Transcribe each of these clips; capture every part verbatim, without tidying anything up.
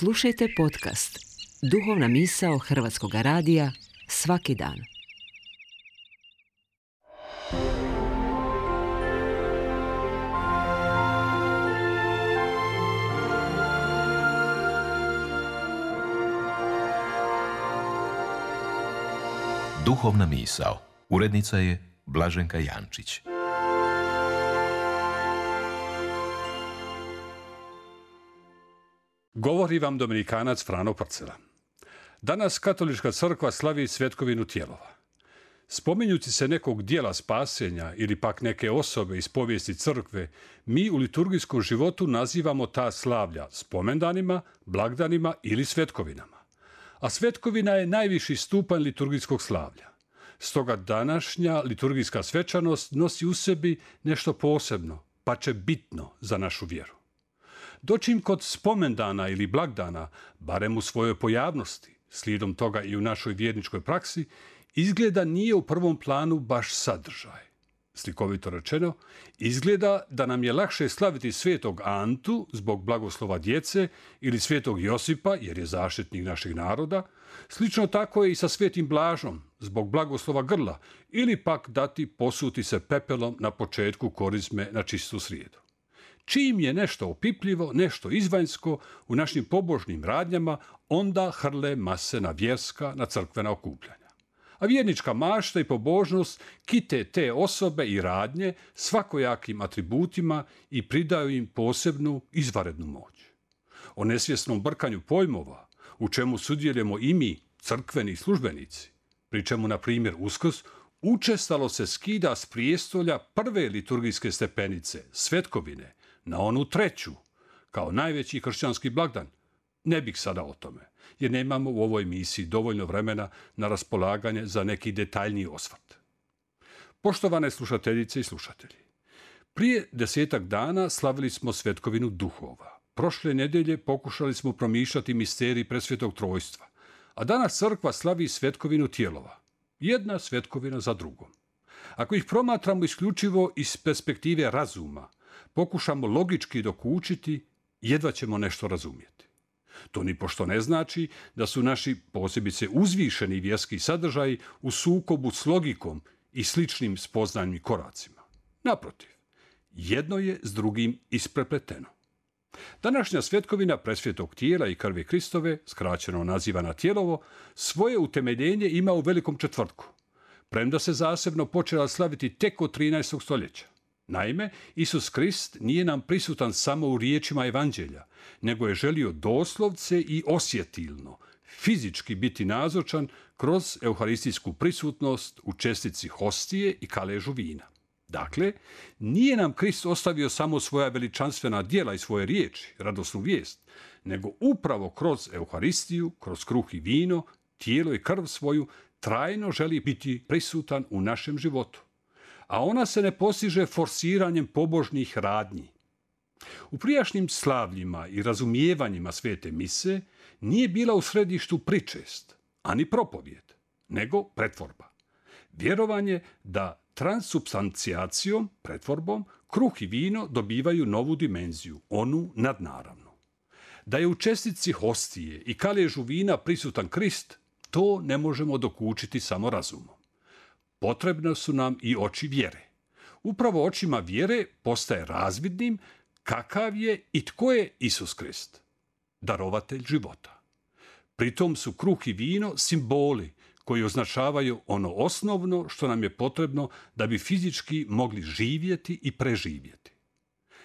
Slušajte podcast Duhovna misao Hrvatskog radija svaki dan. Duhovna misao. Urednica je Blaženka Jančić. Govori vam Dominikanac Frano Parcela. Danas Katolička crkva slavi svetkovinu tijelova. Spominjući se nekog dijela spasenja ili pak neke osobe iz povijesti crkve, mi u liturgijskom životu nazivamo ta slavlja spomendanima, blagdanima ili svetkovinama. A svetkovina je najviši stupanj liturgijskog slavlja. Stoga današnja liturgijska svečanost nosi u sebi nešto posebno, pa će bitno za našu vjeru. Dočim kod spomendana ili blagdana, barem u svojoj pojavnosti, slijedom toga i u našoj vjerničkoj praksi, izgleda nije u prvom planu baš sadržaj. Slikovito rečeno, izgleda da nam je lakše slaviti svetog Antu zbog blagoslova djece ili svetog Josipa jer je zaštitnik našeg naroda, slično tako je i sa svetim Blažom zbog blagoslova grla ili pak dati posuti se pepelom na početku korizme na čistu srijedu. Čim je nešto opipljivo, nešto izvanjsko u našim pobožnim radnjama, onda hrle mase na vjerska, na crkvena okupljanja. A vjernička mašta i pobožnost kite te osobe i radnje svakojakim atributima i pridaju im posebnu izvanrednu moć. O nesvjesnom brkanju pojmova, u čemu sudjelujemo i mi, crkveni službenici, pri čemu, na primjer, Uskrs, učestalo se skida s prijestolja prve liturgijske stepenice, svetkovine, na onu treću, kao najveći kršćanski blagdan. Ne bih sada o tome, jer nemamo u ovoj misiji dovoljno vremena na raspolaganje za neki detaljniji osvrt. Poštovane slušateljice i slušatelji, prije desetak dana slavili smo svetkovinu duhova. Prošle nedjelje pokušali smo promišljati misterij presvetog trojstva, a danas crkva slavi svetkovinu tijelova. Jedna svetkovina za drugom. Ako ih promatramo isključivo iz perspektive razuma, pokušamo logički dokučiti, jedva ćemo nešto razumjeti. To ni pošto ne znači da su naši posebice uzvišeni vjerski sadržaji u sukobu s logikom i sličnim spoznajnim koracima. Naprotiv, jedno je s drugim isprepleteno. Današnja svetkovina presvetog tijela i krvi Kristove, skraćeno nazivana tijelovo, svoje utemeljenje ima u Velikom četvrtku, premda se zasebno počela slaviti tek od trinaestog stoljeća. Naime, Isus Krist nije nam prisutan samo u riječima evanđelja, nego je želio doslovce i osjetilno, fizički biti nazočan kroz euharistijsku prisutnost u čestici hostije i kaležu vina. Dakle, nije nam Krist ostavio samo svoja veličanstvena djela i svoje riječi, radosnu vijest, nego upravo kroz euharistiju, kroz kruh i vino, tijelo i krv svoju, trajno želi biti prisutan u našem životu. A ona se ne postiže forsiranjem pobožnih radnji. U prijašnjim slavljima i razumijevanjima svete mise nije bila u središtu pričest, ani propovijed, nego pretvorba. Vjerovanje da transsubstancijacijom, pretvorbom, kruh i vino dobivaju novu dimenziju, onu nadnaravnu. Da je u čestici hostije i kaležu vina prisutan Krist, to ne možemo dokučiti samo razumom. Potrebne su nam i oči vjere. Upravo očima vjere postaje razvidnim kakav je i tko je Isus Krist, darovatelj života. Pritom su kruh i vino simboli koji označavaju ono osnovno što nam je potrebno da bi fizički mogli živjeti i preživjeti.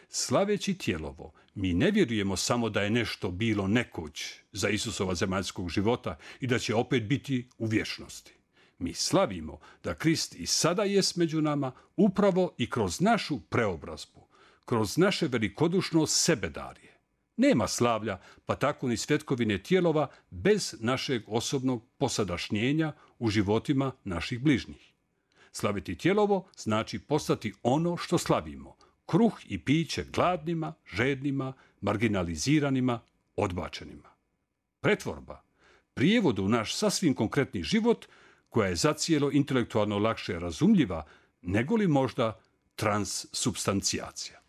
Slaveći tijelovo, mi ne vjerujemo samo da je nešto bilo nekoć za Isusova zemaljskog života i da će opet biti u vječnosti. Mi slavimo da Krist i sada jest među nama upravo i kroz našu preobrazbu, kroz naše velikodušno sebedarje. Nema slavlja, pa tako ni svetkovine tijelova, bez našeg osobnog posadašnjenja u životima naših bližnjih. Slaviti tijelovo znači postati ono što slavimo, kruh i piće gladnima, žednima, marginaliziranima, odbačenima. Pretvorba, prijevodu u naš sasvim konkretni život, koja je zacijelo intelektualno lakše razumljiva, nego li možda transsubstancijacija.